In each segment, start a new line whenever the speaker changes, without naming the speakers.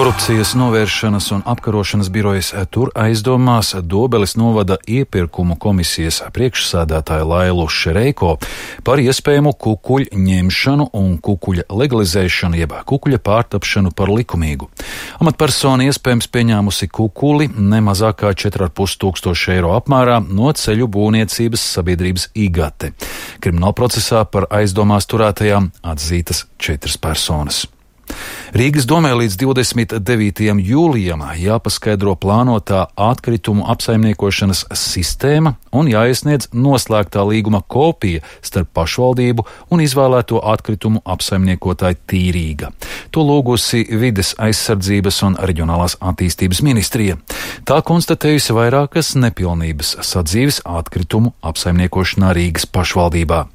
Korupcijas novēršanas un apkarošanas birojas tur aizdomās Dobeles novada iepirkumu komisijas priekšsēdētāju Lailu Šereiko par iespējamu kukuļu ņemšanu un kukuļa legalizēšanu, jeb kukuļa pārtapšanu par likumīgu. Amatpersona iespējams pieņēmusi kukuli nemazāk kā 4,5 tūkstoši eiro apmērā no ceļu būvniecības sabiedrības IGATE. Kriminālprocesā par aizdomās turētajām atzītas 4 personas. Rīgas domē līdz 29. jūlijam jāpaskaidro plānotā atkritumu apsaimniekošanas sistēma un jāiesniedz noslēgtā līguma kopija starp pašvaldību un izvēlēto atkritumu apsaimniekotāju Tīrīga. To lūgusi Vides aizsardzības un reģionālās attīstības ministrija. Tā konstatējusi vairākas nepilnības sadzīves atkritumu apsaimniekošanā Rīgas pašvaldībā.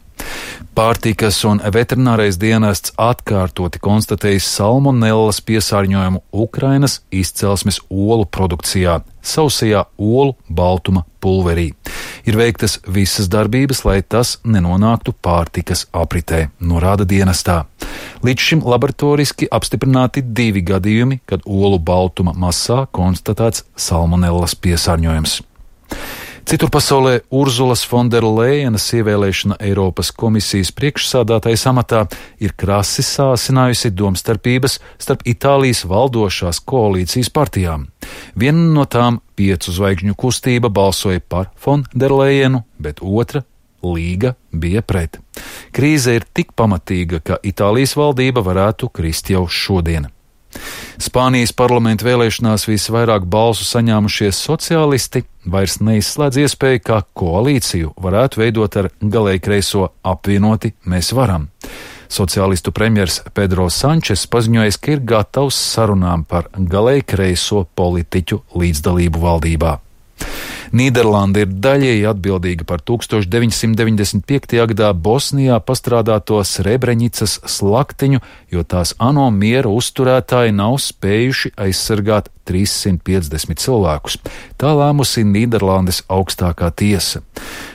Pārtikas un veterinārais dienests atkārtoti konstatējis salmonellas piesārņojumu Ukrainas izcelsmes olu produkcijā, sausajā olu baltuma pulverī. Ir veiktas visas darbības, lai tas nenonāktu pārtikas apritē, norāda dienestā. Līdz šim laboratoriski apstiprināti 2 gadījumi, kad olu baltuma masā konstatēts salmonellas piesārņojums. Citur pasaulē Urzulas Fonderlejenas ievēlēšana Eiropas komisijas priekšsādātājas amatā ir krasi sāsinājusi domstarpības starp Itālijas valdošās koalīcijas partijām. Viena no tām 5 zvaigžņu kustība balsoja par Fonderlejenu, bet otra, Līga, bija pret. Krīze ir tik pamatīga, ka Itālijas valdība varētu krist jau šodien. Spānijas parlamenta vēlēšanās visvairāk balsu saņēmušie sociālisti vairs neizslēdz iespēju, ka koalīciju varētu veidot ar galēji kreiso apvienoti Mēs varam. Sociālistu premjers Pedro Sančes paziņojis, ka ir gatavs sarunām par galēji kreiso politiķu līdzdalību valdībā. Nīderlanda ir daļēji atbildīga par 1995. gadā Bosnijā pastrādāto Srebrenicas slaktiņu, jo tās ANO miera uzturētāji nav spējuši aizsargāt 350 cilvēkus. Tā lēmusi Nīderlandes augstākā tiesa.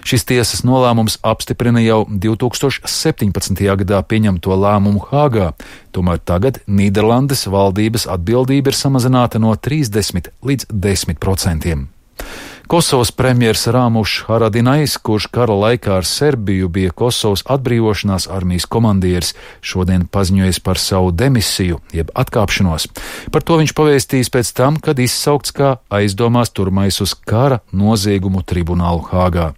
Šis tiesas nolēmums apstiprina jau 2017. gadā pieņemto lēmumu Hāgā, tomēr tagad Nīderlandes valdības atbildība ir samazināta no 30 līdz 10%. Kosovas premjers Rāmušs Haradinajs, kurš kara laikā ar Serbiju bija Kosovas atbrīvošanās armijas komandieris, šodien paziņojis par savu demisiju, jeb atkāpšanos. Par to viņš pavēstījis pēc tam, kad izsaukts kā aizdomās turmais uz kara noziegumu tribunālu Hāgā.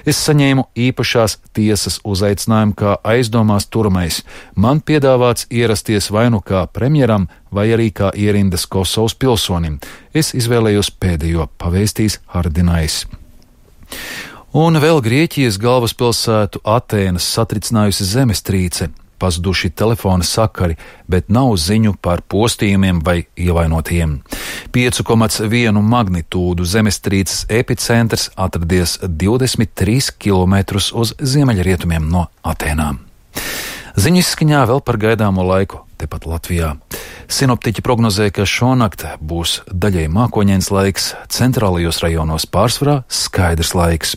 Es saņēmu īpašās tiesas uzaicinājumu kā aizdomās turmais. Man piedāvāts ierasties vai nu kā premjeram, vai arī kā ierindas Kosovas pilsonim. Es izvēlējos pēdējo, pavēstījis Haradinajs. Un vēl Grieķijas galvaspilsētu Atēnas satricinājusi zemestrīce. Pazuduši telefona sakari, bet nav ziņu par postījumiem vai ievainotajiem. 5,1 magnitūdu zemestrīces epicentrs atradies 23 km uz ziemeļrietumiem no Atēnām. Ziņu izskaņā vēl par gaidāmo laiku tepat Latvijā. Sinoptiķi prognozē, ka šonakt būs daļēji mākoņains laiks, centrālajos rajonos pārsvarā skaidrs laiks.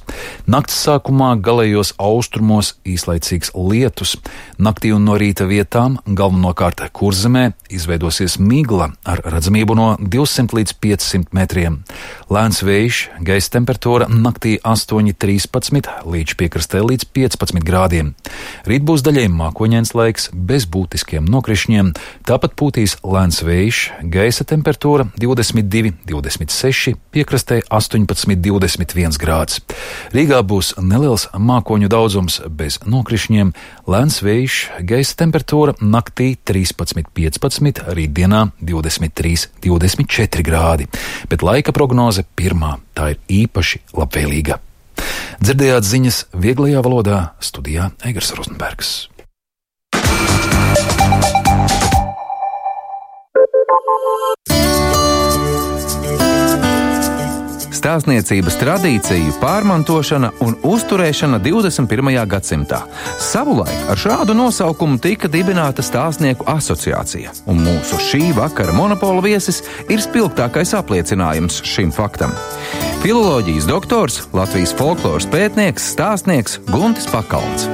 Nakts sākumā galējos austrumos īslaicīgs lietus. Naktī un no rīta vietām, galvenokārt Kurzemē, izveidosies migla ar redzamību no 200 līdz 500 metriem. Lēns vējš, gaisa temperatūra naktī 8,13 līdz piekrastē līdz 15 grādiem. Rīt būs daļēji mākoņains laiks bez būtiskiem nokrišņiem, tāpat pūtīs lēns vējš, gaisa temperatūra 22,26, piekrastē 18,21 grāds. Rīgā būs neliels mākoņu daudzums bez nokrišņiem, lēns vējš, gaisa temperatūra naktī 13,15, rītdienā 23,24 grādi, bet laika prognoze pirmā, tā ir īpaši labvēlīga. Dzirdējāt ziņas vieglajā valodā, studijā Eigars Rozenbergs.
Stāstniecības tradīciju pārmantošana un uzturēšana 21. gadsimtā. Savulaik ar šādu nosaukumu tika dibināta Stāstnieku asociācija, un mūsu šī vakara monopola viesis ir spilgtākais apliecinājums šim faktam. Filoloģijas doktors, Latvijas folkloras pētnieks, stāstnieks Guntis Pakalns.